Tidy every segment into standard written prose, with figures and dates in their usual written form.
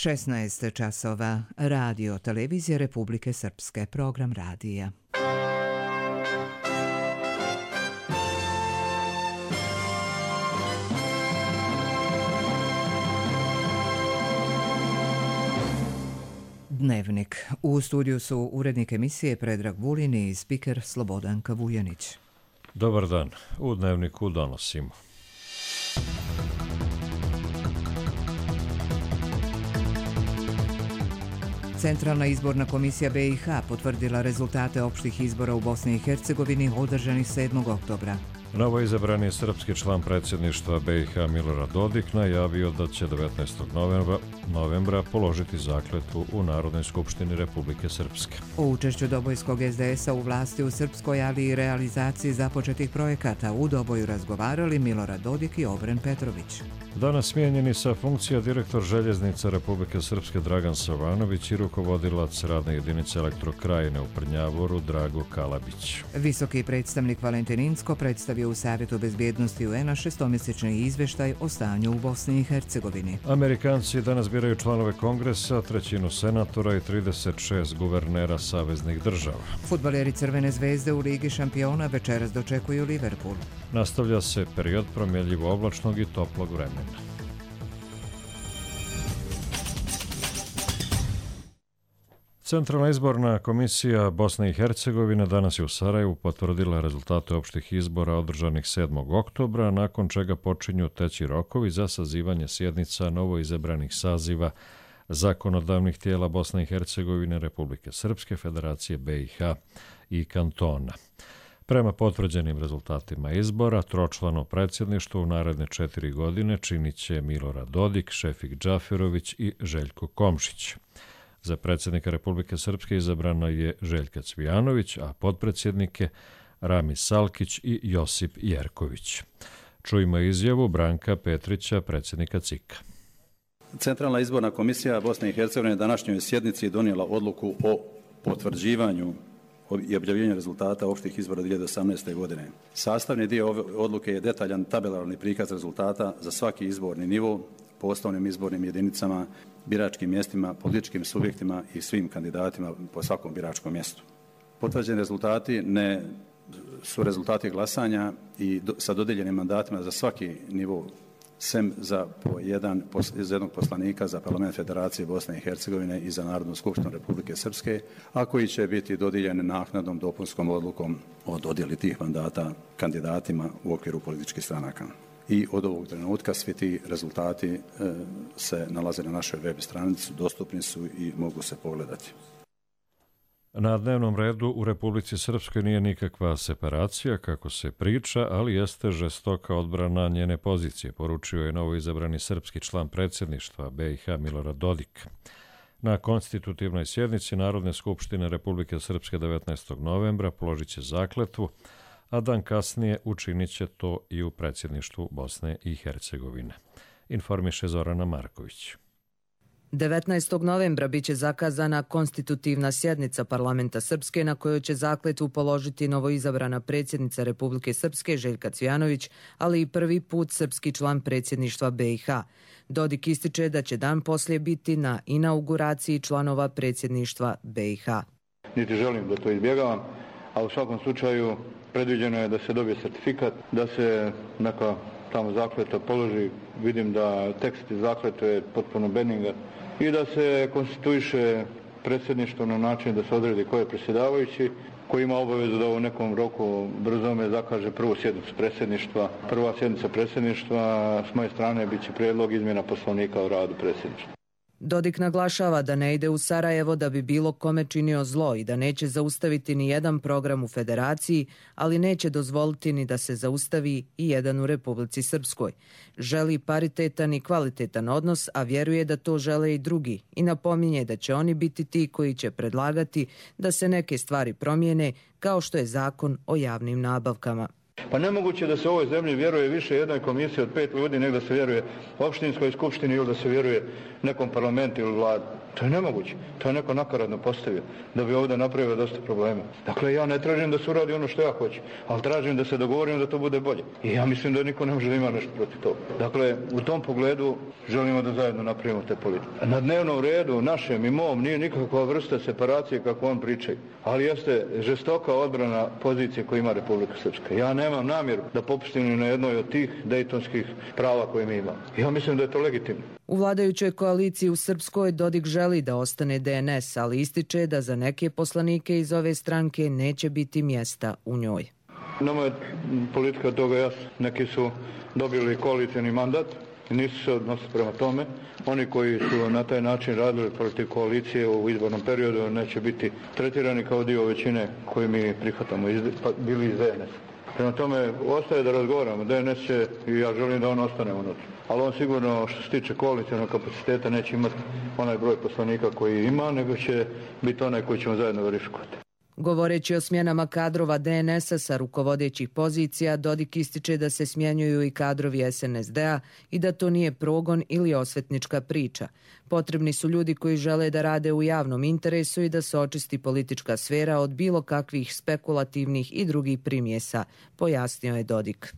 16 časova. Radio Televizije Republike Srpske. Program radija. Dnevnik. U studiju su urednik emisije Predrag Vulin i spiker Slobodanka Vujanić. Dobar dan. U Dnevniku donosimo. Centralna izborna komisija BiH potvrdila rezultate opštih izbora u Bosni i Hercegovini održanih 7. oktobra. Novoizabrani srpski član predsjedništva BiH Milorad Dodik najavio da će 19. novembra položiti zakletvu u Narodnoj skupštini Republike Srpske. O učešću Dobojskog SDS-a u vlasti u Srpskoj, ali i realizaciji započetih projekata u Doboju razgovarali Milorad Dodik i Obren Petrović. Danas smijenjeni sa funkcija direktor Željeznica Republike Srpske Dragan Savanović i rukovodilac radne jedinice Elektrokrajine u Prnjavoru Drago Kalabić. Visoki predstavnik Valentin Incko predstavio u Savjetu bezbjednosti UN-a šestomjesečni izveštaj o stanju u Bosni i Hercegovini. Amerikanci danas biraju članove Kongresa, trećinu senatora i 36 guvernera saveznih država. Fudbaleri Crvene zvezde u Ligi šampiona večeras dočekuju Liverpool. Nastavlja se period promjenjivo oblačnog i toplog vremena. Centralna izborna komisija Bosne i Hercegovine danas je u Sarajevu potvrdila rezultate opštih izbora održanih 7. oktobra, nakon čega počinju teći rokovi za sazivanje sjednica novoizabranih saziva zakonodavnih tijela Bosne i Hercegovine, Republike Srpske, Federacije BiH i kantona. Prema potvrđenim rezultatima izbora, tročlano predsjedništvo u naredne 4 godine činit će Milorad Dodik, Šefik Džaferović i Željko Komšić. Za predsjednika Republike Srpske izabrano je Željka Cvijanović, a potpredsjednike Ramiz Salkić i Josip Jerković. Čujmo izjavu Branka Petrića, predsjednika CIK-a. Centralna izborna komisija Bosne i Hercegovine današnjoj sjednici donijela odluku o potvrđivanju i objavljenju rezultata opštih izbora 2018. godine. Sastavni dio ove odluke je detaljan tabelarni prikaz rezultata za svaki izborni nivo, po osnovnim izbornim jedinicama, biračkim mjestima, političkim subjektima i svim kandidatima po svakom biračkom mjestu. Potvrđeni rezultati su rezultati glasanja i sa dodijeljenim mandatima za svaki nivo, sem za jednog poslanika za Parlament Federacije Bosne i Hercegovine i za Narodnu skupštinu Republike Srpske, a koji će biti dodijeljeni naknadnom dopunskom odlukom o dodjeli tih mandata kandidatima u okviru političkih stranaka. I od ovog trenutka svi ti rezultati se nalaze na našoj web stranici, dostupni su i mogu se pogledati. Na dnevnom redu u Republici Srpskoj nije nikakva separacija, kako se priča, ali jeste žestoka odbrana njene pozicije, poručio je novoizabrani srpski član predsjedništva BiH Milorad Dodik. Na konstitutivnoj sjednici Narodne skupštine Republike Srpske 19. novembra položit će zakletvu, a dan kasnije učinit će to i u predsjedništvu Bosne i Hercegovine. Informiše Zorana Marković. 19. novembra biće zakazana konstitutivna sjednica Parlamenta Srpske na kojoj će zakletvu položiti novoizabrana predsjednica Republike Srpske Željka Cvijanović, ali i prvi put srpski član predsjedništva BiH. Dodik ističe da će dan poslije biti na inauguraciji članova predsjedništva BiH. Niti želim da to izbjegavam, a u svakom slučaju predviđeno je da se dobije certifikat, da se neka tamo zakletva položi. Vidim da tekst iz zakletve je potpuno benigna i da se konstituiše predsjedništvo na način da se odredi ko je predsjedavajući, koji ima obavezu da u nekom roku brzome zakaže prvu sjednicu predsjedništva. Prva sjednica predsjedništva s moje strane bit će prijedlog izmjena poslovnika o radu predsjedništva. Dodik naglašava da ne ide u Sarajevo da bi bilo kome činio zlo i da neće zaustaviti ni jedan program u Federaciji, ali neće dozvoliti ni da se zaustavi i jedan u Republici Srpskoj. Želi paritetan i kvalitetan odnos, a vjeruje da to žele i drugi i napominje da će oni biti ti koji će predlagati da se neke stvari promijene, kao što je zakon o javnim nabavkama. Pa nemoguće da se u ovoj zemlji vjeruje više jednoj komisiji od 5 ljudi nego da se vjeruje opštinskoj skupštini ili da se vjeruje nekom parlamentu ili vladi. To je nemoguće. To je neko nakaradno postavio da bi ovdje napravio dosta problema. Dakle, ja ne tražim da se uradi ono što ja hoću, ali tražim da se dogovorimo da to bude bolje. I ja mislim da niko ne može da ima nešto protiv toga. Dakle, u tom pogledu želimo da zajedno napravimo te politike. Na dnevnom redu, našem i mom, nije nikakva vrsta separacije kako on pričaju, ali jeste žestoka odbrana pozicije koju ima Republika Srpska. Ja nemam namjeru da popustim ni na jednoj od tih dejtonskih prava koje mi imamo. Ja mislim da je to legitimno. U vladajućoj koaliciji u Srpskoj Dodik želi da ostane DNS, ali ističe da za neke poslanike iz ove stranke neće biti mjesta u njoj. Nama je politika toga jasna. Neki su dobili koalicijni mandat i nisu se odnosili prema tome. Oni koji su na taj način radili protiv koalicije u izbornom periodu neće biti tretirani kao dio većine koju mi prihvatamo, bili iz DNS. Prema tome, ostaje da razgovaramo. DNS će, i ja želim da on ostane unutra. Ali on sigurno, što se tiče koalicijnog kapaciteta, neće imati onaj broj poslanika koji ima, nego će biti onaj koji ćemo zajedno verifikovati. Govoreći o smjenama kadrova DNS-a sa rukovodećih pozicija, Dodik ističe da se smjenjuju i kadrovi SNSD-a i da to nije progon ili osvetnička priča. Potrebni su ljudi koji žele da rade u javnom interesu i da se očisti politička sfera od bilo kakvih spekulativnih i drugih primjesa, pojasnio je Dodik.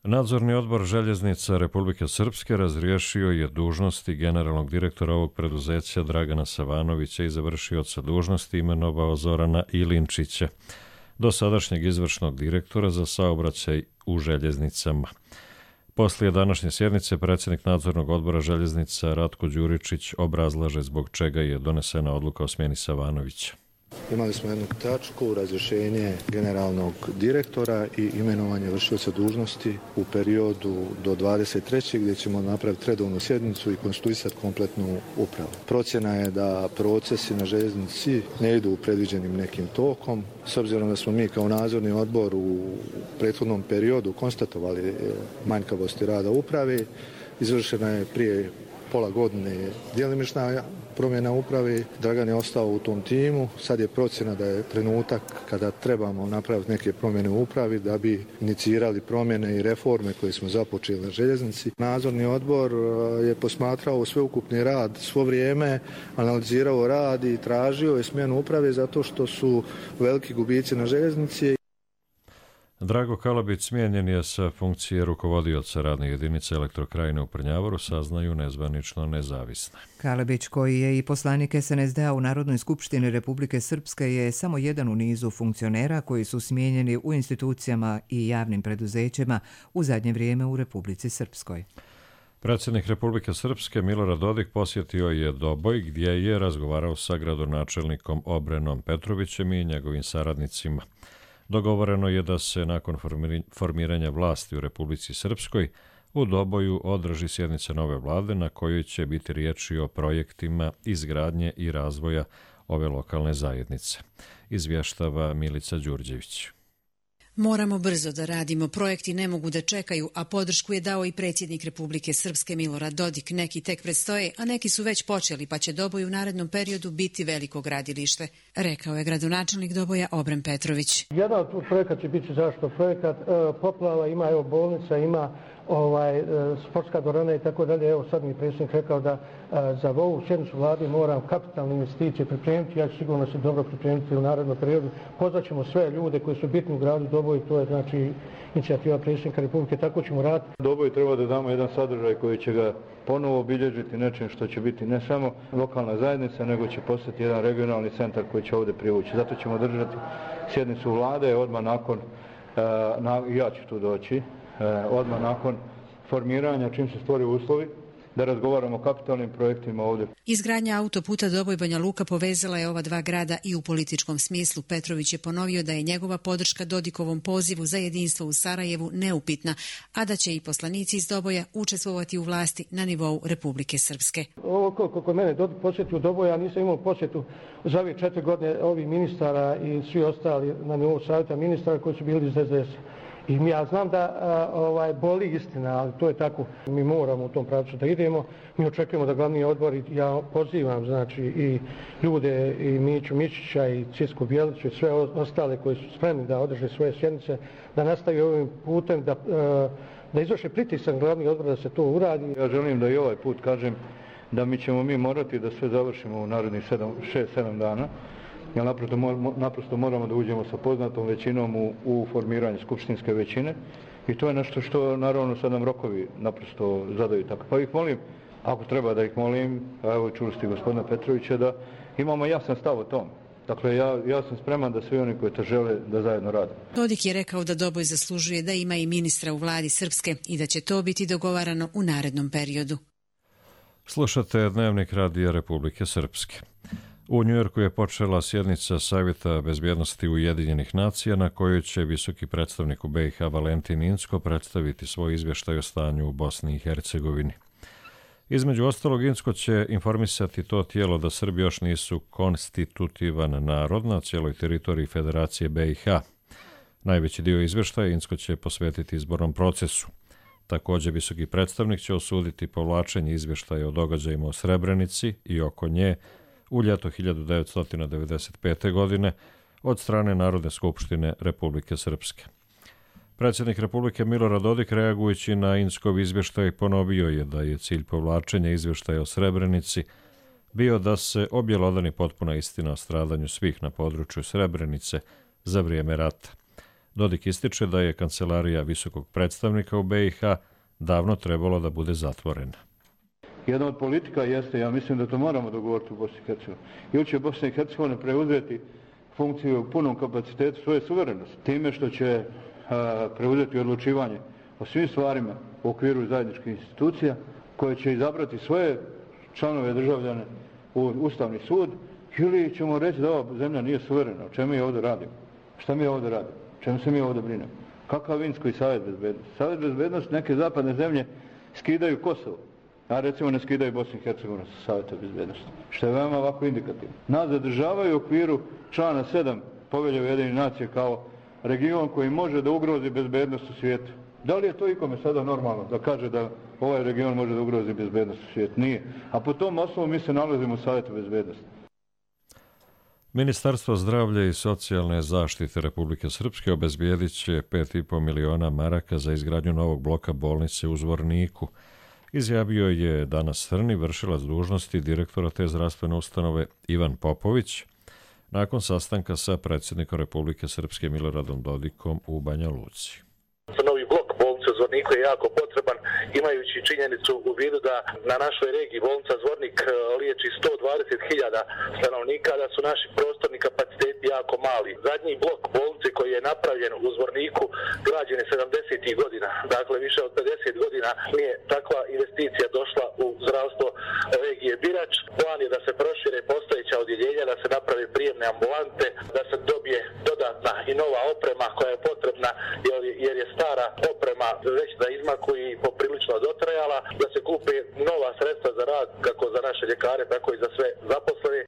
Nadzorni odbor Željeznica Republike Srpske razriješio je dužnosti generalnog direktora ovog preduzeća Dragana Savanovića i završioca dužnosti imenovao Zorana Ilinčića, dosadašnjeg izvršnog direktora za saobraćaj u željeznicama. Poslije današnje sjednice predsjednik nadzornog odbora Željeznica Ratko Đuričić obrazlaže zbog čega je donesena odluka o smjeni Savanovića. Imali smo jednu tačku, razrješenje generalnog direktora i imenovanje vršioca dužnosti u periodu do 23. gdje ćemo napraviti redovnu sjednicu i konstituisati kompletnu upravu. Procjena je da procesi na željeznici ne idu u predviđenim nekim tokom. S obzirom da smo mi kao nadzorni odbor u prethodnom periodu konstatovali manjkavosti rada uprave, izvršena je prije pola godine djelimična promjena uprave. Dragan je ostao u tom timu. Sad je procjena da je trenutak kada trebamo napraviti neke promjene u upravi da bi inicirali promjene i reforme koje smo započeli na željeznici. Nadzorni odbor je posmatrao sveukupni rad svo vrijeme, analizirao rad i tražio je smjenu uprave zato što su veliki gubici na željeznici. Drago Kalabić smijenjen je sa funkcije rukovodioca radne jedinice Elektrokrajine u Prnjavoru, saznaju nezvanično nezavisne. Kalabić, koji je i poslanik SNSD-a u Narodnoj skupštini Republike Srpske, je samo jedan u nizu funkcionera koji su smijenjeni u institucijama i javnim preduzećima u zadnje vrijeme u Republici Srpskoj. Predsjednik Republike Srpske Milorad Dodik posjetio je Doboj gdje je razgovarao sa gradonačelnikom Obrenom Petrovićem i njegovim saradnicima. Dogovoreno je da se nakon formiranja vlasti u Republici Srpskoj u Doboju održi sjednica nove vlade na kojoj će biti riječi o projektima izgradnje i razvoja ove lokalne zajednice, izvještava Milica Đurđević. Moramo brzo da radimo, projekti ne mogu da čekaju, a podršku je dao i predsjednik Republike Srpske Milorad Dodik. Neki tek predstoje, a neki su već počeli, pa će Doboj u narednom periodu biti veliko gradilište, rekao je gradonačelnik Doboja Obren Petrović. Jedan od projekata će biti zašto projekat poplava, ima evo bolnica, ima sportska dvorana i tako dalje. Evo sad mi predsjednik rekao da za ovu sjednicu vlade moram kapitalne investicije pripremiti. Ja ću sigurno se dobro pripremiti u narednom periodu. Pozvat ćemo sve ljude koji su bitni u gradu Doboj, to je znači inicijativa predsjednika Republike, tako ćemo raditi. Doboj treba da damo jedan sadržaj koji će ga ponovo obilježiti nečim što će biti ne samo lokalna zajednica, nego će postati jedan regionalni centar koji će ovdje privući. Zato ćemo držati sjednicu vlade odmah nakon, ja ću tu doći, odmah nakon formiranja, čim se stvori uslovi, da razgovaramo o kapitalnim projektima ovdje. Izgradnja autoputa Doboj-Banja Luka povezala je ova dva grada i u političkom smislu. Petrović je ponovio da je njegova podrška Dodikovom pozivu za jedinstvo u Sarajevu neupitna, a da će i poslanici iz Doboja učestvovati u vlasti na nivou Republike Srpske. Ovo koliko mene Dodik posjetio Doboja, ja nisam imao posjetu za ove 4 godine ovih ministara i svi ostali na nivou savjeta ministara koji su bili iz SDS. I ja znam da boli istina, ali to je tako. Mi moramo u tom pravcu da idemo. Mi očekujemo da glavni odbor, ja pozivam znači i ljude, i Miću Mišića, i Cisku Bjeliću, i sve ostale koji su spremni da održe svoje sjednice, da nastavi ovim putem, da izvrše pritisak glavni odbor da se to uradi. Ja želim da i ovaj put kažem da mi ćemo morati da sve završimo u narednih 6-7 dana, jer naprosto moramo da uđemo sa poznatom većinom u formiranje skupštinske većine i to je nešto što naravno sad nam rokovi naprosto zadaju tako. Pa ih molim, ako treba da ih molim, evo čuli ste gospodina Petrovića, da imamo jasan stav o tom. Dakle, ja sam spreman da svi oni koji to žele da zajedno rade. Dodik je rekao da Doboj zaslužuje da ima i ministra u vladi Srpske i da će to biti dogovarano u narednom periodu. Slušate Dnevnik Radija Republike Srpske. U Njujorku je počela sjednica Savjeta bezbjednosti Ujedinjenih nacija na kojoj će visoki predstavnik u BiH Valentin Incko predstaviti svoj izvještaj o stanju u Bosni i Hercegovini. Između ostalog, Incko će informisati to tijelo da Srbi još nisu konstitutivan narod na cijeloj teritoriji Federacije BiH. Najveći dio izvještaja Incko će posvetiti izbornom procesu. Također, visoki predstavnik će osuditi povlačenje izvještaja o događajima u Srebrenici i oko nje u ljeto 1995. godine od strane Narodne skupštine Republike Srpske. Predsjednik Republike Milorad Dodik, reagujući na Inckov izvještaj, ponovio je da je cilj povlačenja izvještaja o Srebrenici bio da se objelodani potpuna istina o stradanju svih na području Srebrenice za vrijeme rata. Dodik ističe da je kancelarija visokog predstavnika u BiH davno trebalo da bude zatvorena. Jedna od politika jeste, ja mislim da to moramo dogovoriti u Bosni i Hercegovini. Ili će Bosna i Hercegovina preuzeti funkciju u punom kapacitetu svoje suverenosti, time što će preuzeti odlučivanje o svim stvarima u okviru zajedničkih institucija, koje će izabrati svoje članove državljane u Ustavni sud, ili ćemo reći da ova zemlja nije suverena. O čemu mi ovdje radimo? Šta mi ovdje radimo? Čemu se mi ovdje brinemo? Kakav Vinsko i Savjet bezbednosti? Savjet bezbednosti neke zapadne zemlje skidaju Kosovo, a recimo ne skidaju Bosnu i Hercegovinu sa Savjeta bezbednosti, što je veoma ovako indikativno. Nas zadržavaju u okviru člana 7 Povelje Ujedinjenih nacija kao region koji može da ugrozi bezbednost u svijetu. Da li je to ikome sada normalno da kaže da ovaj region može da ugrozi bezbednost u svijetu? Nije. A po tom osnovu mi se nalazimo u Savjetu bezbednosti. Ministarstvo zdravlja i socijalne zaštite Republike Srpske obezbijedit će 5,5 miliona maraka za izgradnju novog bloka bolnice u Zvorniku. Izjavio je danas Crni, vršilac dužnosti direktora te zdravstvene ustanove Ivan Popović, nakon sastanka sa predsjednikom Republike Srpske Miloradom Dodikom u Banja Luci. Novi blok bolnice u Zvorniku je jako potreban, imajući činjenicu u vidu da na našoj regiji bolnica Zvornik liječi 120.000 stanovnika, da su naši prostorni kapaciteti jako mali. Zadnji blok bolnice koji je napravljen u Zvorniku građen je 70. godina, dakle više od 50 godina nije takva investicija došla u zdravstvo regije Birač. Plan je da se prošire postojeća odjeljenja, da se naprave prijemne ambulante, da se dobije dodatna i nova oprema koja je potrebna jer je stara oprema već na izmaku i poprilično dotrajala, da se kupe nova sredstva za rad kako za naše ljekare, tako i za sve zaposlene.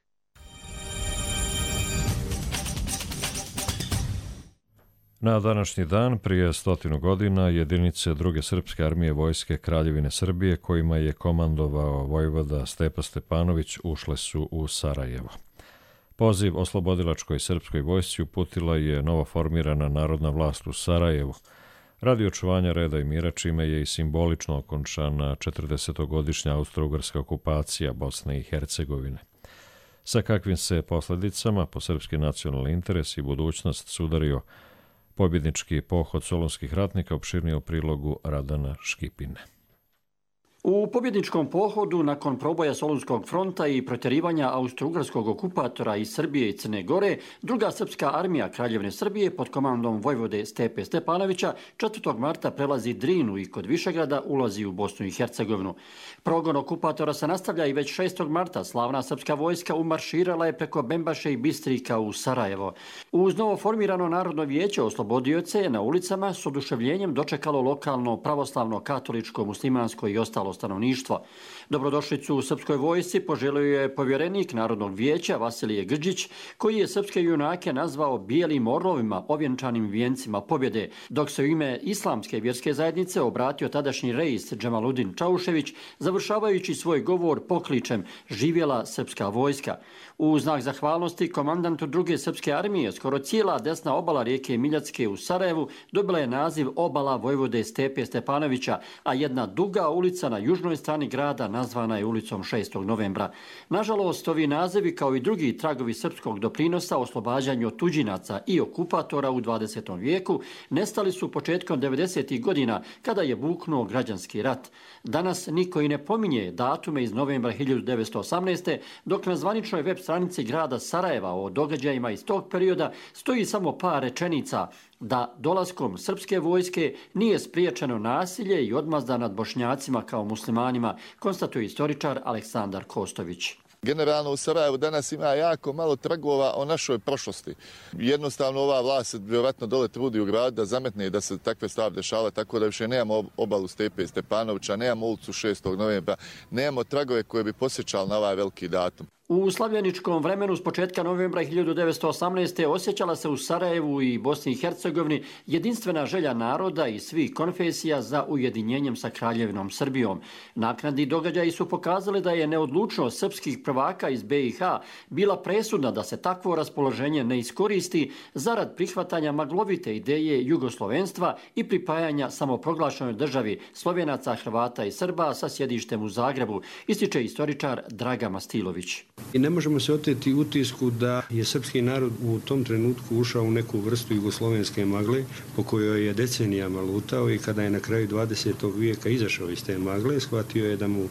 Na današnji dan, prije 100 godina, jedinice druge srpske armije vojske Kraljevine Srbije, kojima je komandovao vojvoda Stepa Stepanović, ušle su u Sarajevo. Poziv oslobodilačkoj srpskoj vojsci uputila je novoformirana narodna vlast u Sarajevu, radi očuvanja reda i mira, čime je i simbolično okončana 40-godišnja austro-ugarska okupacija Bosne i Hercegovine. Sa kakvim se posljedicama po srpski nacionalni interes i budućnost sudario pobjednički pohod solunskih ratnika, opširnije u prilogu Radana Škipine. U pobjedničkom pohodu nakon proboja Solunskog fronta i protjerivanja austro-ugarskog okupatora iz Srbije i Crne Gore, druga srpska armija Kraljevine Srbije pod komandom vojvode Stepe Stepanovića 4. marta prelazi Drinu i kod Višegrada ulazi u Bosnu i Hercegovinu. Progon okupatora se nastavlja i već 6. marta slavna srpska vojska umarširala je preko Bembaše i Bistrika u Sarajevo. Uz novo formirano Narodno vijeće oslobodioce na ulicama s oduševljenjem dočekalo lokalno pravoslavno, katoličko, muslimansko i ostalo stanovništvo. Dobrodošlicu u srpskoj vojsci poželio je povjerenik Narodnog vijeća Vasilije Grđić, koji je srpske junake nazvao bijelim orlovima ovjenčanim vijencima pobjede, dok se u ime Islamske vjerske zajednice obratio tadašnji reis Džemaludin Čaušević, završavajući svoj govor pokličem "Živjela srpska vojska". U znak zahvalnosti komandantu druge srpske armije skoro cijela desna obala rijeke Miljacke u Sarajevu dobila je naziv obala vojvode Stepe Stepanovića, a jedna duga ulica na južnoj strani grada nazvana je ulicom 6. novembra. Nažalost, ovi nazivi kao i drugi tragovi srpskog doprinosa oslobađanju od tuđinaca i okupatora u 20. vijeku nestali su početkom 90. godina kada je buknuo građanski rat. Danas niko i ne pominje datume iz novembra 1918. dok na zvaničnoj web stranici grada Sarajeva o događajima iz tog perioda stoji samo par rečenica da dolaskom srpske vojske nije spriječeno nasilje i odmazda nad Bošnjacima kao muslimanima, konstatuje istoričar Aleksandar Kostović. Generalno u Sarajevu danas ima jako malo tragova o našoj prošlosti. Jednostavno ova vlast se vjerovatno dole trudi u gradu da zametne da se takve stvari dešava, tako da više nemamo obalu Stepe Stepanovića, nemamo ulicu 6. novembra, nemamo tragove koje bi posjećali na ovaj veliki datum. U slavljeničkom vremenu s početka novembra 1918. osjećala se u Sarajevu i Bosni i Hercegovini jedinstvena želja naroda i svih konfesija za ujedinjenjem sa Kraljevinom Srbijom. Naknadni događaji su pokazali da je neodlučnost srpskih prvaka iz BiH bila presudna da se takvo raspoloženje ne iskoristi zarad prihvatanja maglovite ideje jugoslovenstva i pripajanja samoproglašenoj državi Slovenaca, Hrvata i Srba sa sjedištem u Zagrebu, ističe istoričar Draga Mastilović. I ne možemo se oteti utisku da je srpski narod u tom trenutku ušao u neku vrstu jugoslovenske magle po kojoj je decenijama lutao i kada je na kraju 20. vijeka izašao iz te magle, shvatio je da mu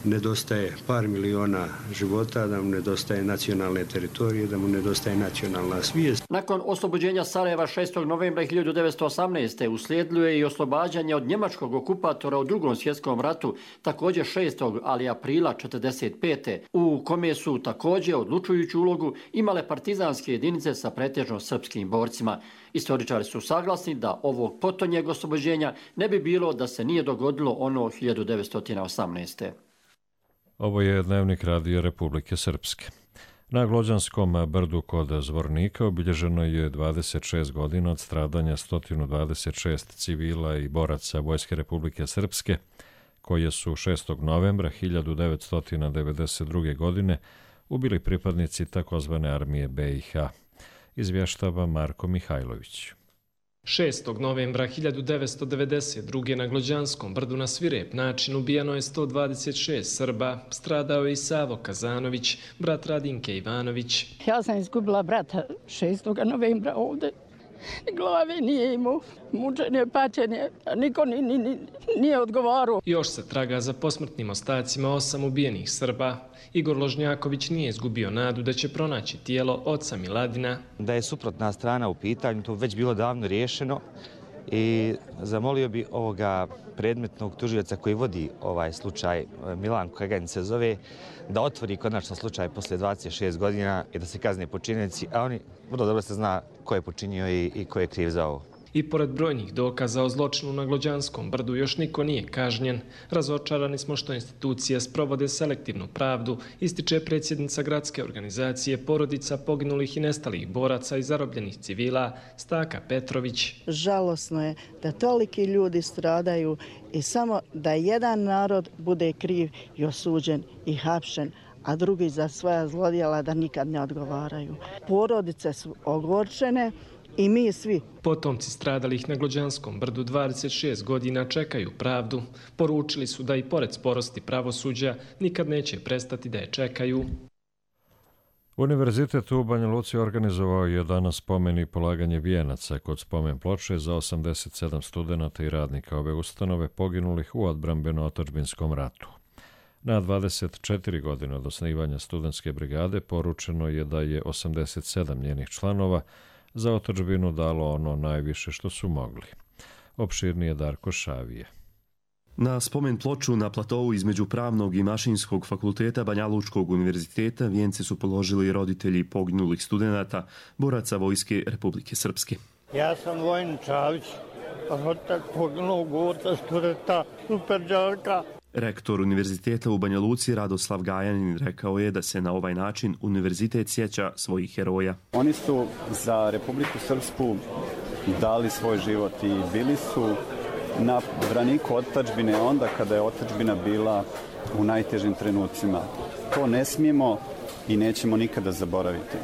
nedostaje par miliona života, da mu nedostaje nacionalne teritorije, da mu nedostaje nacionalna svijest. Nakon oslobođenja Sarajeva 6. novembra 1918. uslijedilo je i oslobađanje od njemačkog okupatora u Drugom svjetskom ratu, također 6. ali aprila 1945. u kome su također odlučujuću ulogu imale partizanske jedinice sa pretežno srpskim borcima. Istoričari su saglasni da ovog potonjeg oslobođenja ne bi bilo da se nije dogodilo ono 1918. Ovo je dnevnik Radija Republike Srpske. Na Glođanskom brdu kod Zvornika obilježeno je 26 godina od stradanja 126 civila i boraca Vojske Republike Srpske, koje su 6. novembra 1992. godine ubili pripadnici takozvane armije BiH. Izvještava Marko Mihajlović. 6. novembra 1992. na Glođanskom brdu na svirep način ubijeno je 126 Srba. Stradao je i Savo Kazanović, brat Radinke Ivanović. Ja sam izgubila brata 6. novembra ovdje. Glave nije imao, mučenje, pačenje, niko nije odgovarao. Još se traga za posmrtnim ostacima 8 ubijenih Srba. Igor Ložnjaković nije izgubio nadu da će pronaći tijelo oca Miladina. Da je suprotna strana u pitanju, to već bilo davno riješeno i zamolio bi ovoga predmetnog tužioca koji vodi ovaj slučaj, Milanko Kaganj se zove, da otvori konačno slučaj posle 26 godina i da se kazne počinjenici, a oni vrlo dobro se zna ko je počinio i ko je kriv za ovo. I pored brojnih dokaza o zločinu na Glođanskom brdu još niko nije kažnjen. Razočarani smo što institucije sprovode selektivnu pravdu, ističe predsjednica gradske organizacije porodica poginulih i nestalih boraca i zarobljenih civila Staka Petrović. Žalosno je da toliki ljudi stradaju i samo da jedan narod bude kriv i osuđen i hapšen, a drugi za svoja zlodjela da nikad ne odgovaraju. Porodice su ogorčene i mi svi. Potomci stradalih na Glođanskom brdu 26 godina čekaju pravdu. Poručili su da i pored sporosti pravosuđa nikad neće prestati da je čekaju. Univerzitet u Banja Luci organizovao je danas spomen i polaganje vijenaca kod spomen ploče za 87 studenata i radnika ove ustanove poginulih u odbrambeno-otadžbinskom ratu. Na 24 godine od osnivanja studentske brigade poručeno je da je 87 njenih članova za otadžbinu dalo ono najviše što su mogli. Opširnije Darko Šavije. Na spomen ploču na platovu između Pravnog i Mašinskog fakulteta Banja Lučkog univerziteta vijence su položili roditelji poginulih studenata, boraca Vojske Republike Srpske. Ja sam Vojin Čavić, rodak poginulog borca studenta Superđalka. Rektor Univerziteta u Banja Luci Radoslav Gajanin rekao je da se na ovaj način univerzitet sjeća svojih heroja. Oni su za Republiku Srpsku dali svoj život i bili su na braniku otadžbine onda kada je otadžbina bila u najtežim trenucima. To ne smijemo i nećemo nikada zaboraviti.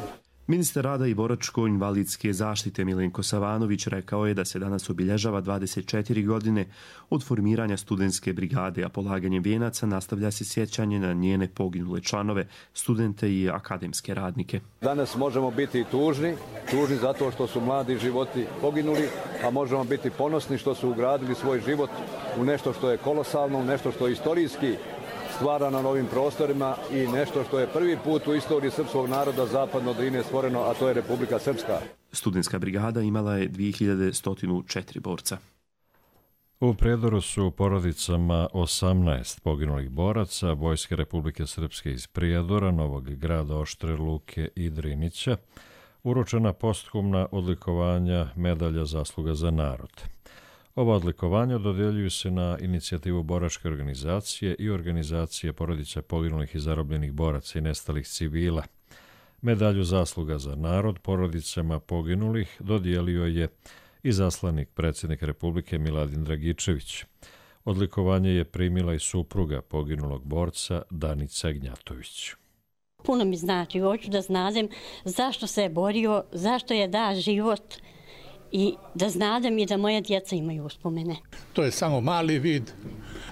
Ministar rada i boračko-invalidske zaštite Milenko Savanović rekao je da se danas obilježava 24 godine od formiranja studentske brigade, a polaganjem vijenaca nastavlja se sjećanje na njene poginule članove, studente i akademske radnike. Danas možemo biti tužni zato što su mladi životi poginuli, a možemo biti ponosni što su ugradili svoj život u nešto što je kolosalno, u nešto što je istorijski stvara na novim prostorima i nešto što je prvi put u istoriji srpskog naroda zapadno od Drine stvoreno, a to je Republika Srpska. Studentska brigada imala je 2104 borca. U Prijedoru su porodicama 18 poginulih boraca Vojske Republike Srpske iz Prijedora, Novog Grada, Oštre Luke i Drinića uručena posthumna odlikovanja medalja zasluga za narod. Ova odlikovanja dodjeljuju se na inicijativu boračke organizacije i organizacije porodica poginulih i zarobljenih boraca i nestalih civila. Medalju zasluga za narod porodicama poginulih dodijelio je i zaslanik predsjednik Republike Miladin Dragičević. Odlikovanje je primila i supruga poginulog borca Danica Gnjatović. Puno mi znači, hoću da znadem zašto se je borio, zašto je da život i da znadem i da moje djeca imaju uspomene. To je samo mali vid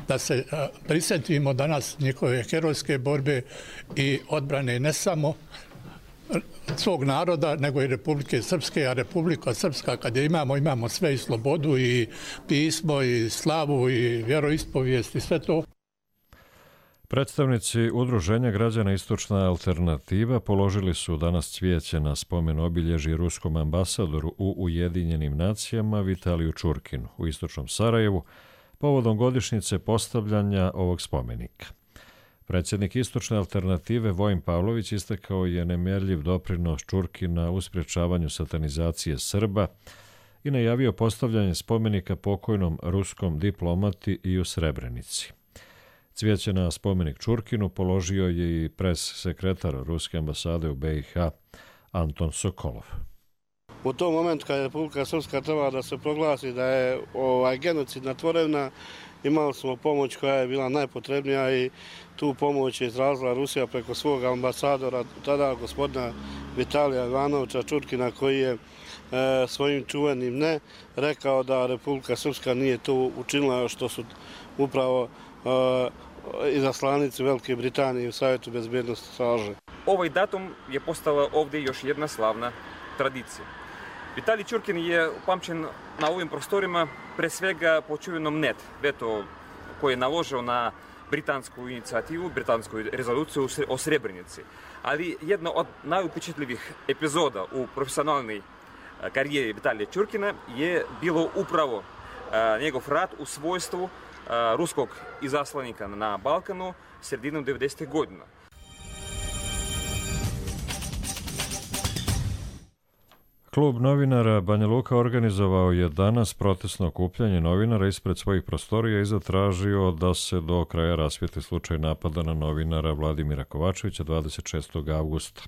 da se prisjetimo danas njihove herojske borbe i odbrane ne samo svog naroda, nego i Republike Srpske, a Republika Srpska kad je imamo sve i slobodu i pismo i slavu i vjeroispovijest i sve to. Predstavnici Udruženja građana Istočna alternativa položili su danas cvijeće na spomen obilježje ruskom ambasadoru u Ujedinjenim nacijama Vitaliju Čurkinu u istočnom Sarajevu povodom godišnjice postavljanja ovog spomenika. Predsjednik Istočne alternative Vojin Pavlović istakao je nemjerljiv doprinos Čurkina u sprječavanju satanizacije Srba i najavio postavljanje spomenika pokojnom ruskom diplomati i u Srebrenici. Cvijeće na spomenik Čurkinu položio je i pres sekretar Ruske ambasade u BiH Anton Sokolov. U tom momentu kad je Republika Srpska trebala da se proglasi da je genocidna tvorevina, imali smo pomoć koja je bila najpotrebnija i tu pomoć je izrazila Rusija preko svog ambasadora, tada gospodina Vitalija Ivanovića Čurkina, koji je svojim čuvenim ne rekao da Republika Srpska nije to učinila, što su upravo izaslanici Velike Britanije u Savjetu bezbjednosti traže. Ovaj datum je postala ovdje još jedna slavna tradicija. Vitalij Čurkin je upamćen na ovim prostorima pre svega po čuvenom veto koji je naložio na britansku inicijativu, britansku rezoluciju o Srebrenici. Ali jedna od najupečatljivih epizoda u profesionalnoj karijeri Vitalija Čurkina je bilo upravo njegov rad u svojstvu ruskog izaslanika na Balkanu sredinom 90. godina. Klub novinara Banja Luka organizovao je danas protestno okupljanje novinara ispred svojih prostorija i zatražio da se do kraja rasvijetli slučaj napada na novinara Vladimira Kovačevića 26. avgusta.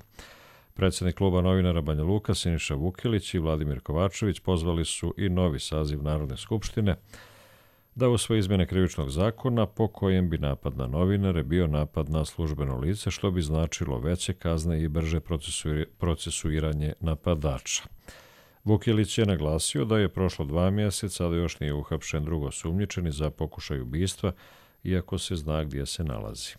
Predsjednik kluba novinara Banja Luka Siniša Vukilić i Vladimir Kovačević pozvali su i novi saziv Narodne skupštine da usvoji izmjene krivičnog zakona po kojem bi napad na novinare bio napad na službeno lice, što bi značilo veće kazne i brže procesuiranje napadača. Vukilić je naglasio da je prošlo 2 mjeseca, a da još nije uhapšen drugoosumnjičeni za pokušaj ubistva, iako se zna gdje se nalazi.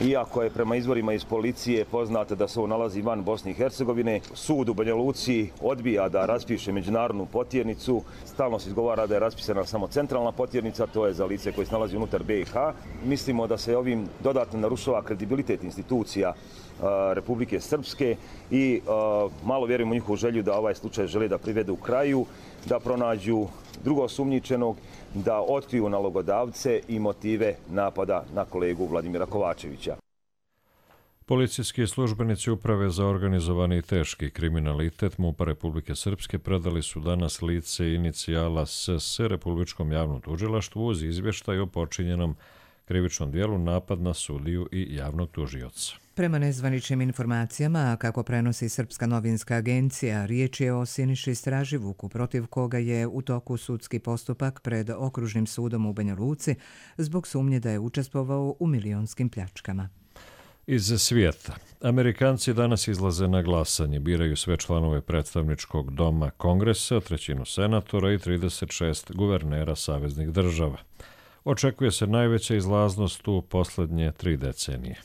Iako je prema izvorima iz policije poznato da se on nalazi van Bosne i Hercegovine, sud u Banja Luci odbija da raspiše međunarodnu potjernicu. Stalno se izgovara da je raspisana samo centralna potjernica, to je za lice koje se nalazi unutar BiH. Mislimo da se ovim dodatno narušava kredibilitet institucija Republike Srpske i malo vjerujemo u njihovu želju da ovaj slučaj žele da privedu u kraju, da pronađu drugoosumnjičenog, da otkriju nalogodavce i motive napada na kolegu Vladimira Kovačevića. Policijski službenici Uprave za organizovani i teški kriminalitet MUP-a Republike Srpske predali su danas lice inicijala SS Republičkom javnom tužilaštvu uz izvještaj o počinjenom krivičnom dijelu napad na sudiju i javnog tužioca. Prema nezvaničnim informacijama, kako prenosi Srpska novinska agencija, riječ je o Siniši Straživuku, protiv koga je u toku sudski postupak pred Okružnim sudom u Banja Luci zbog sumnje da je učestvovao u milionskim pljačkama. Iz svijeta. Amerikanci danas izlaze na glasanje, biraju sve članove predstavničkog doma Kongresa, 1/3 senatora i 36 guvernera saveznih država. Očekuje se najveća izlaznost u posljednje 3 decenije.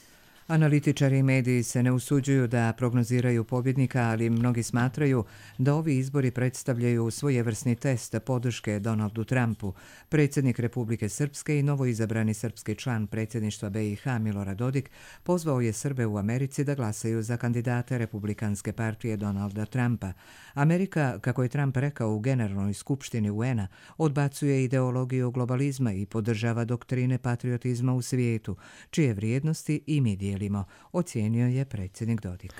Analitičari i mediji se ne usuđuju da prognoziraju pobjednika, ali mnogi smatraju da ovi izbori predstavljaju svojevrsni test podrške Donaldu Trumpu. Predsjednik Republike Srpske i novoizabrani srpski član predsjedništva BiH Milorad Dodik pozvao je Srbe u Americi da glasaju za kandidate Republikanske partije Donalda Trumpa. Amerika, kako je Trump rekao u Generalnoj skupštini UN-a, odbacuje ideologiju globalizma i podržava doktrine patriotizma u svijetu, čije vrijednosti i mi dijelimo, ocijenio je predsjednik Dodik.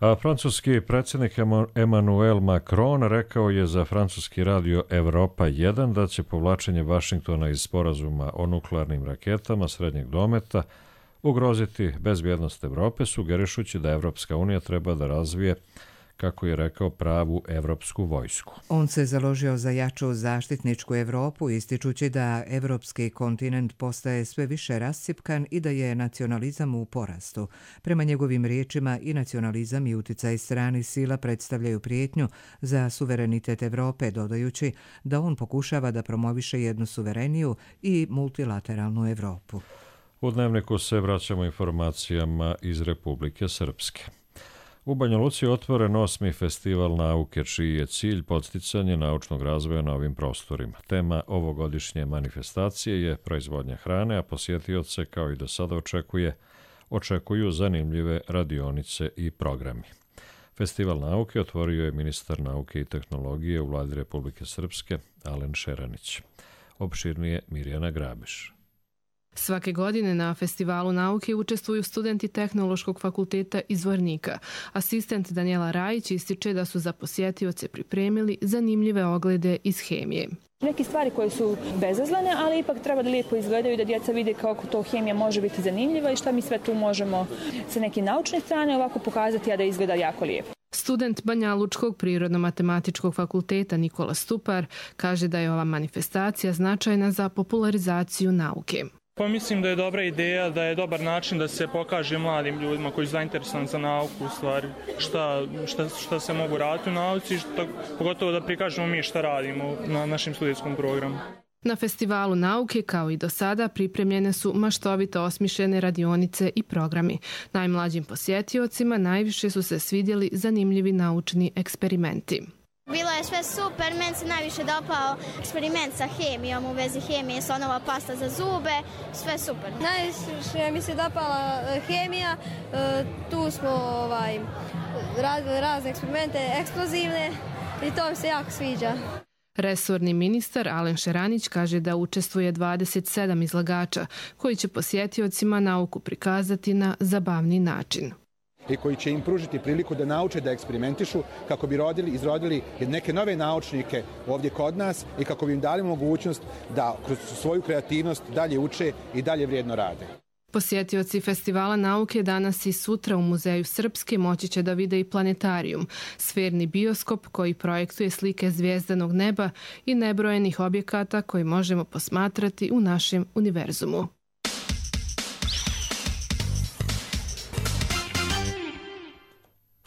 A francuski predsjednik Emmanuel Macron rekao je za francuski radio Evropa 1 da će povlačenje Vašingtona iz sporazuma o nuklearnim raketama srednjeg dometa ugroziti bezbjednost Evrope, sugerišući da Evropska unija treba da razvije, kako je rekao, pravu evropsku vojsku. On se založio za jaču zaštitničku Evropu, ističući da evropski kontinent postaje sve više rascjepkan i da je nacionalizam u porastu. Prema njegovim riječima i nacionalizam i uticaj stranih sila predstavljaju prijetnju za suverenitet Evrope, dodajući da on pokušava da promoviše jednu suvereniju i multilateralnu Evropu. U Dnevniku se vraćamo informacijama iz Republike Srpske. U Banja Luci je otvoren 8. festival nauke, čiji je cilj podsticanje naučnog razvoja na ovim prostorima. Tema ovogodišnje manifestacije je proizvodnja hrane, a posjetioce, kao i do sada očekuju zanimljive radionice i programi. Festival nauke otvorio je ministar nauke i tehnologije u Vladi Republike Srpske, Alen Šeranić. Opširnije Mirjana Grabiš. Svake godine na Festivalu nauke učestvuju studenti Tehnološkog fakulteta iz Zvornika. Asistent Danijela Rajić ističe da su za posjetioce pripremili zanimljive oglede iz hemije. Neke stvari koje su bezazlene, ali ipak treba da lijepo izgledaju, da djeca vide kako to hemija može biti zanimljiva i šta mi sve tu možemo sa neke naučne strane ovako pokazati, a da izgleda jako lijepo. Student Banjalučkog prirodno-matematičkog fakulteta Nikola Stupar kaže da je ova manifestacija značajna za popularizaciju nauke. Pa mislim da je dobra ideja, da je dobar način da se pokaže mladim ljudima koji su zainteresovani za nauku, u stvari, šta se mogu raditi u nauci, pogotovo da prikažemo mi šta radimo na našem studijskom programu. Na Festivalu nauke, kao i do sada, pripremljene su maštovito osmišljene radionice i programi. Najmlađim posjetiocima najviše su se svidjeli zanimljivi naučni eksperimenti. Bilo je sve super, meni se najviše dopao eksperiment sa hemijom u vezi hemije, slonova pasta za zube, sve super. Najviše mi se dopala hemija, tu smo radili razne eksperimente, eksplozivne i to mi se jako sviđa. Resorni ministar Alen Šeranić kaže da učestvuje 27 izlagača koji će posjetiocima nauku prikazati na zabavni način. I koji će im pružiti priliku da nauče da eksperimentišu kako bi izrodili neke nove naučnike ovdje kod nas i kako bi im dali mogućnost da kroz svoju kreativnost dalje uče i dalje vrijedno rade. Posjetioci Festivala nauke danas i sutra u Muzeju Srpske moći će da vide i planetarijum, sferni bioskop koji projektuje slike zvijezdanog neba i nebrojenih objekata koji možemo posmatrati u našem univerzumu.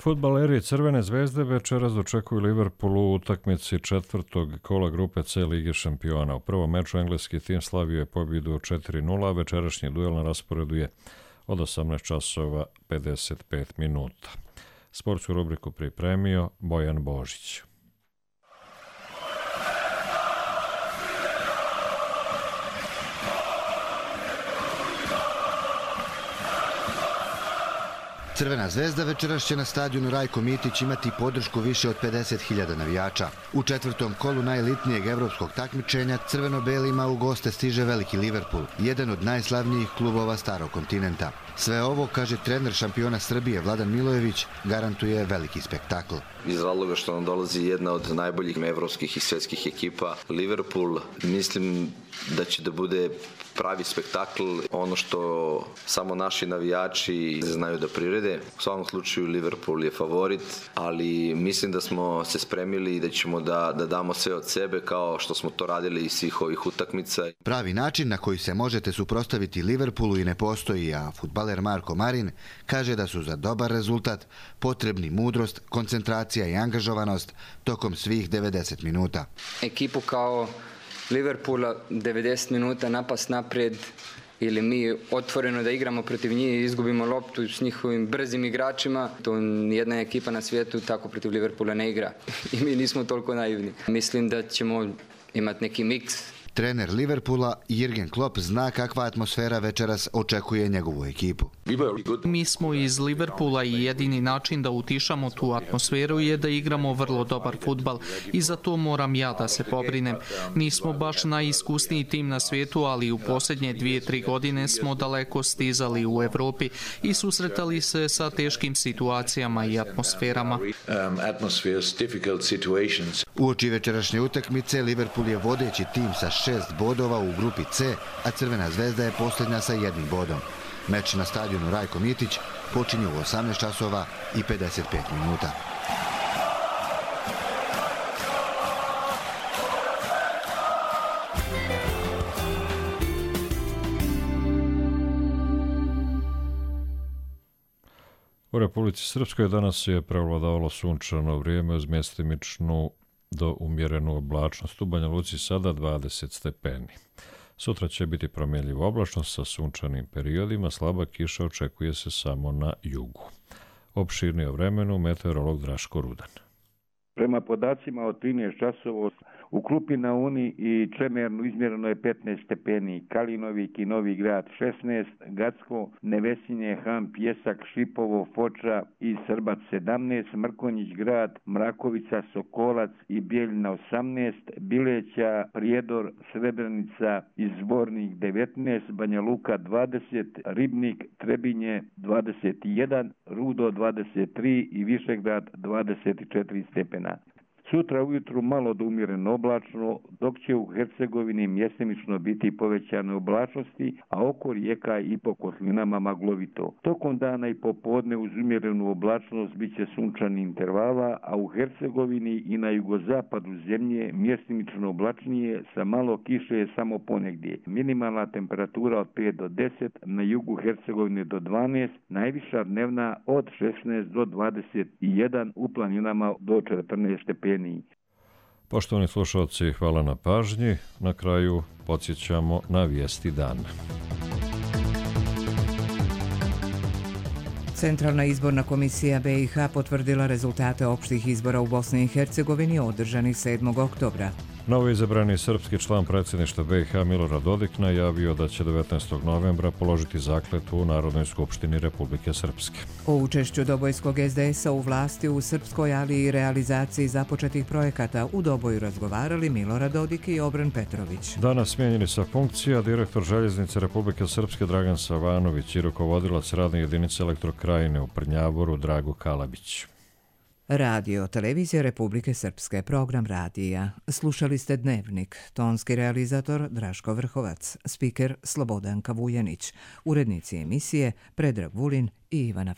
Fudbaleri Crvene zvezde večeras dočekuju Liverpool u utakmici četvrtog kola grupe C Lige šampiona. U prvom meču engleski tim slavio je pobjedu 4-0, a večerašnji duel na rasporedu je od 18 časova 55 minuta. Sportsku rubriku pripremio Bojan Božić. Crvena zvezda večeras će na stadionu Rajko Mitić imati podršku više od 50.000 navijača. U četvrtom kolu najelitnijeg evropskog takmičenja crveno-belima u goste stiže veliki Liverpool, jedan od najslavnijih klubova starog kontinenta. Sve ovo, kaže trener šampiona Srbije Vladan Milojević, garantuje veliki spektakl. Iz razloga što nam dolazi jedna od najboljih evropskih i svjetskih ekipa, Liverpool, mislim da će da bude pravi spektakl, ono što samo naši navijači znaju da prirede. U svakom slučaju Liverpool je favorit, ali mislim da smo se spremili i da ćemo da damo sve od sebe kao što smo to radili iz svih ovih utakmica. Pravi način na koji se možete suprotstaviti Liverpoolu i ne postoji, a fudbaler Marko Marin kaže da su za dobar rezultat potrebni mudrost, koncentracija i angažovanost tokom svih 90 minuta. Ekipu kao Liverpoola 90 minuta napast naprijed ili mi otvoreno da igramo protiv njih i izgubimo loptu s njihovim brzim igračima, to nijedna ekipa na svijetu tako protiv Liverpoola ne igra i mi nismo toliko naivni. Mislim da ćemo imati neki miks. Trener Liverpoola Jürgen Klopp zna kakva atmosfera večeras očekuje njegovu ekipu. Mi smo iz Liverpoola i jedini način da utišamo tu atmosferu je da igramo vrlo dobar fudbal i za to moram ja da se pobrinem. Nismo baš najiskusniji tim na svijetu, ali u posljednje 2-3 godine smo daleko stizali u Evropi i susretali se sa teškim situacijama i atmosferama. Uoči večerašnje utakmice Liverpool je vodeći tim sa 6 bodova u grupi C, a Crvena zvezda je posljednja sa 1 bodom. Meč na stadionu Rajko Mitić počinje u 18 časova i 55 minuta. U Republici Srpskoj danas je prevladavalo sunčano vrijeme uz mjestimičnu do umjerenu oblačnost. U Banja Luci sada 20 stepeni. Sutra će biti promjenljiva oblačnost sa sunčanim periodima, slaba kiša očekuje se samo na jugu. Opširnije o vremenu meteorolog Draško Rudan. Prema podacima od 13 časova u Krupi na Uni i Čemernu izmjereno je 15 stepeni, Kalinovik i Novi Grad 16, Gacko, Nevesinje, Han, Pjesak, Šipovo, Foča i Srbac 17, Mrkonjić Grad, Mrakovica, Sokolac i Bijeljina 18, Bileća, Prijedor, Srebrenica i Zvornik 19, Banja Luka 20, Ribnik, Trebinje 21, Rudo 23 i Višegrad 24 stepena. Sutra ujutru malo do umjereno oblačno, dok će u Hercegovini mjestimično biti povećane oblačnosti, a oko rijeka i po kotlinama maglovito. Tokom dana i popodne uz umjerenu oblačnost bit će sunčani intervala, a u Hercegovini i na jugozapadu zemlje mjestimično oblačnije sa malo kiše je samo ponegdje. Minimalna temperatura od 5 do 10, na jugu Hercegovine do 12, najviša dnevna od 16 do 21, u planinama do 14 stepeni. Poštovani slušalci, hvala na pažnji. Na kraju podsjećamo na vijesti dana. Centralna izborna komisija BiH potvrdila rezultate opštih izbora u Bosni i Hercegovini održanih 7. oktobra. Novoizabrani srpski član predsjedništva BiH Milorad Dodik najavio da će 19. novembra položiti zakletvu u Narodnoj skupštini Republike Srpske. O učešću Dobojskog SDS-a u vlasti u Srpskoj, ali i realizaciji započetih projekata u Doboju razgovarali Milorad Dodik i Obran Petrović. Danas smijenjeni sa funkcija direktor Željeznice Republike Srpske Dragan Savanović i rukovodilac radne jedinice Elektrokrajine u Prnjavoru Drago Kalabić. Radio, televizija Republike Srpske, program radija. Slušali ste Dnevnik, tonski realizator Draško Vrhovac, spiker Slobodanka Vujanić, urednici emisije Predrag Vulin i Ivana